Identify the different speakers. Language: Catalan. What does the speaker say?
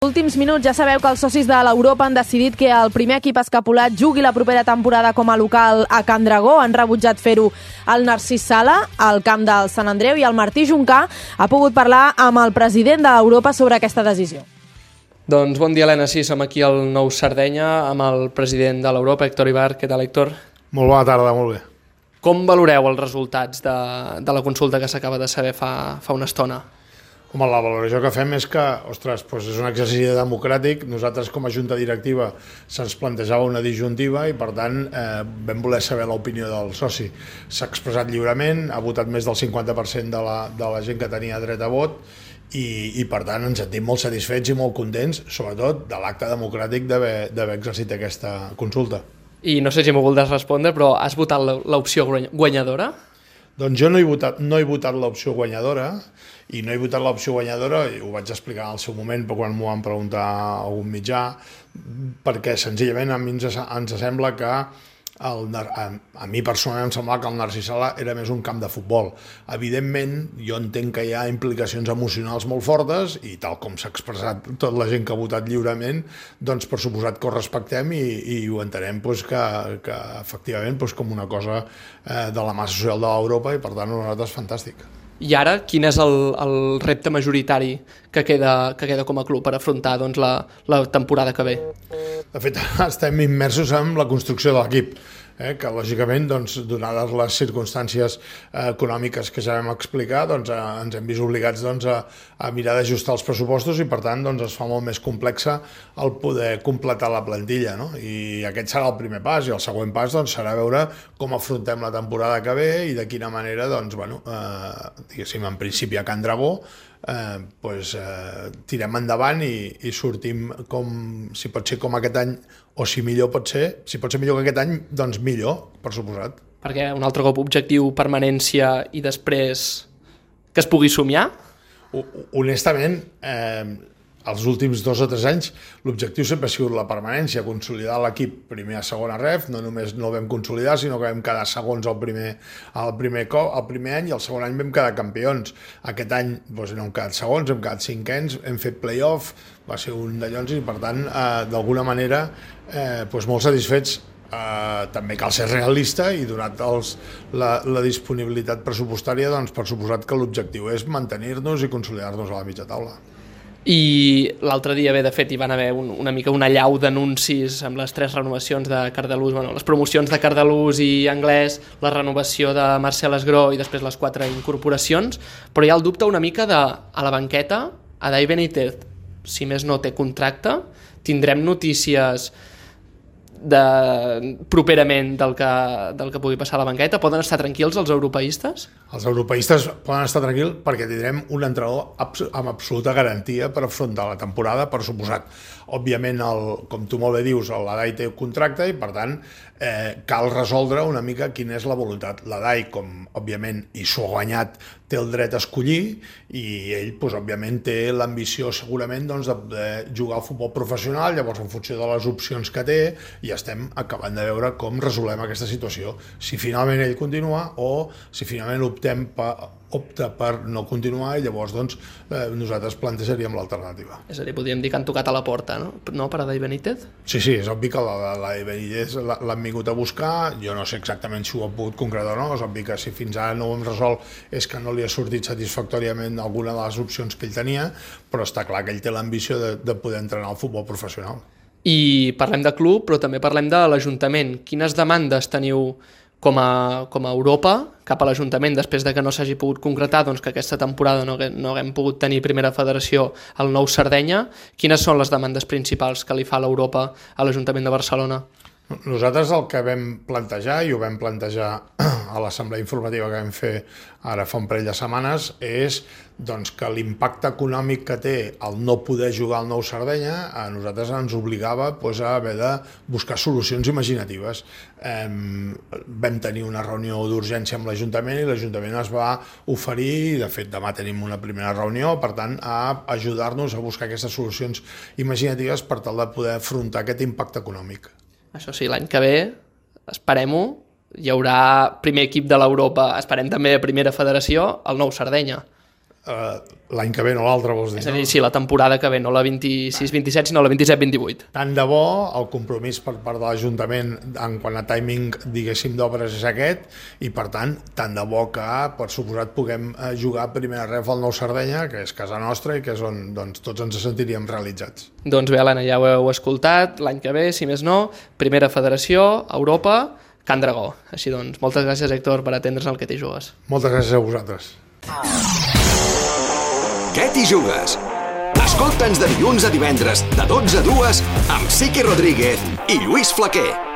Speaker 1: Últims minuts, ja sabeu que els socis de l'Europa han decidit que el primer equip escapulat jugui la propera temporada com a local a Can Dragó. Han rebutjat fer-ho el Narcís Sala, al camp del Sant Andreu, i el Martí Juncà ha pogut parlar amb el president de l'Europa sobre aquesta decisió.
Speaker 2: Doncs bon dia, Helena. Sí, som aquí al Nou Sardenya amb el president de l'Europa, Héctor Ibar. Què tal, Héctor?
Speaker 3: Molt bona tarda, molt bé.
Speaker 2: Com valoreu els resultats de la consulta que s'acaba de saber fa una estona?
Speaker 3: Home, la valoració que fem és que, ostres, doncs és un exercici democràtic. Nosaltres, com a junta directiva, se'ns plantejava una disjuntiva i, per tant, vam voler saber l'opinió del soci. S'ha expressat lliurement, ha votat més del 50% de la gent que tenia dret a vot i per tant, ens sentim molt satisfets i molt contents, sobretot de l'acte democràtic d'haver exercit aquesta consulta.
Speaker 2: I no sé si m'ho voldràs respondre, però has votat l'opció guanyadora?
Speaker 3: Doncs jo no he votat l'opció guanyadora, i no he votat l'opció guanyadora, i ho vaig explicar en el seu moment quan m'ho van preguntar a algun mitjà, perquè senzillament a mi ens sembla que a mi personalment em semblava que el Narcís Sala era més un camp de futbol. Evidentment, jo entenc que hi ha implicacions emocionals molt fortes i tal com s'ha expressat tota la gent que ha votat lliurement, doncs per suposat que ho respectem i ho entenem que efectivament com una cosa de la massa social de l'Europa i per tant nosaltres fantàstic.
Speaker 2: I ara, quin és el repte majoritari que queda com a club per afrontar la temporada que ve?
Speaker 3: De fet, estem immersos en la construcció de l'equip, que lògicament, donades les circumstàncies econòmiques que ja vam explicar, ens hem vist obligats a mirar d'ajustar els pressupostos i per tant es fa molt més complexa el poder completar la plantilla, no? I aquest serà el primer pas i el següent pas serà veure com afrontem la temporada que ve i de quina manera, diguéssim, en principi a Can Dragó tirem endavant i sortim si pot ser com aquest any o si pot ser millor que aquest any, doncs millor, per suposat.
Speaker 2: Perquè un altre cop objectiu permanència i després que es pugui somiar?
Speaker 3: Honestament, els últims 2 o 3 anys l'objectiu sempre ha sigut la permanència, consolidar l'equip primer a segona ref, no només no el vam consolidar, sinó que vam quedar segons el primer any i el segon any vam quedar campions. Aquest any no hem quedat segons, hem quedat cinquens, hem fet play-off, va ser un d'allons i per tant, d'alguna manera, molt satisfets. També cal ser realista i donat la disponibilitat pressupostària, per suposat que l'objectiu és mantenir-nos i consolidar-nos a la mitja taula.
Speaker 2: I l'altre dia, de fet, hi van haver una mica una allau d'anuncis amb les 3 renovacions de Cardelús, les promocions de Cardelús i Anglès, la renovació de Marcel Esgró i després les 4 incorporacions, però hi ha el dubte una mica a la banqueta, Adai Benítez, si més no té contracte, tindrem notícies properament del que pugui passar a la banqueta? Poden estar tranquils els europeistes?
Speaker 3: Els europeistes poden estar tranquils perquè tindrem un entrenador amb absoluta garantia per afrontar la temporada, per suposat. Òbviament, com tu molt bé dius, l'Adai té contracte i, per tant, cal resoldre una mica quina és la voluntat. L'Adai, com, òbviament, i s'ho ha guanyat, té el dret a escollir i ell, òbviament, té l'ambició segurament de poder jugar al futbol professional, llavors en funció de les opcions que té i estem acabant de veure com resolem aquesta situació. Si finalment ell continua o si finalment opta per no continuar i llavors nosaltres plantejaríem l'alternativa.
Speaker 2: És a dir, podríem dir que han tocat a la porta, no? Per Adai Benítez?
Speaker 3: Sí, és obvi que l'Adai Benítez l'han vingut a buscar, jo no sé exactament si ho ha pogut concretar o no, és obvi que si fins ara no ho hem resolt és que no li ha sortit satisfactòriament alguna de les opcions que ell tenia, però està clar que ell té l'ambició de poder entrenar al futbol professional.
Speaker 2: I parlem de club, però també parlem de l'Ajuntament. Quines demandes teniu com a Europa cap a l'Ajuntament després de que no s'hagi pogut concretar que aquesta temporada no haguem pogut tenir primera federació al Nou Sardenya? Quines són les demandes principals que li fa l'Europa a l'Ajuntament de Barcelona?
Speaker 3: Nosaltres el que vam plantejar, i ho vam plantejar a l'assemblea informativa que vam fer ara fa un parell de setmanes, és que l'impacte econòmic que té el no poder jugar al Nou Sardenya a nosaltres ens obligava a haver de buscar solucions imaginatives. Vam tenir una reunió d'urgència amb l'Ajuntament i l'Ajuntament es va oferir, i de fet demà tenim una primera reunió, per tant, a ajudar-nos a buscar aquestes solucions imaginatives per tal de poder afrontar aquest impacte econòmic.
Speaker 2: Això sí, l'any que ve, esperem-ho, hi haurà primer equip de l'Europa, esperem també primera federació, al Nou Sardenya.
Speaker 3: l'any que ve, no l'altre, vols dir?
Speaker 2: És a dir, sí, la temporada que ve, no la 26-27, sinó la 27-28.
Speaker 3: Tant de bo, el compromís per part de l'Ajuntament en quant a timing, diguéssim, d'obres és aquest, i per tant, tant de bo que, per suposat, puguem jugar a primera ref al Nou Sardenya, que és casa nostra i que és on tots ens sentiríem realitzats.
Speaker 2: Doncs bé, Helena, ja ho heu escoltat, l'any que ve, si més no, primera federació, Europa, Can Dragó. Així doncs, moltes gràcies, Héctor, per atendre's al Que t'hi jugues.
Speaker 3: Moltes gràcies a vosaltres.
Speaker 4: Què t'hi jugues? Escolta'ns de dilluns a divendres, de 12 a 2, amb Siqui Rodríguez i Lluís Flaquer.